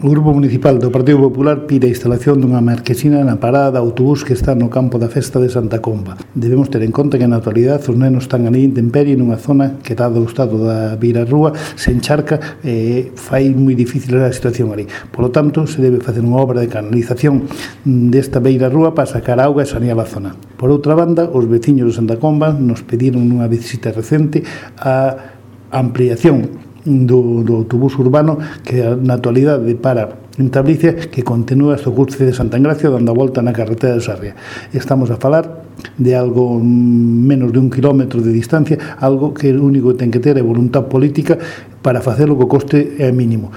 O Grupo Municipal do Partido Popular pide a instalación dunha marquesina na parada de autobús que está no campo da festa de Santa Comba. Debemos ter en conta que na actualidade os nenos están ali en intemperie nunha zona que, dado o estado da beirarrúa, se encharca e fai moi difícil a situación ali. Por lo tanto, se debe facer unha obra de canalización desta beirarrúa para sacar auga e sanear a zona. Por outra banda, os veciños de Santa Comba nos pediron nunha visita recente a ampliación do autobús urbano que na actualidade para en Tablicia, que continúa hasta o cruce de Santa Engracia dando a volta na carretera de Sarria. Estamos a falar de algo menos de 1 kilómetro de distancia, algo que o único que ten que ter é voluntad política para facelo co coste mínimo.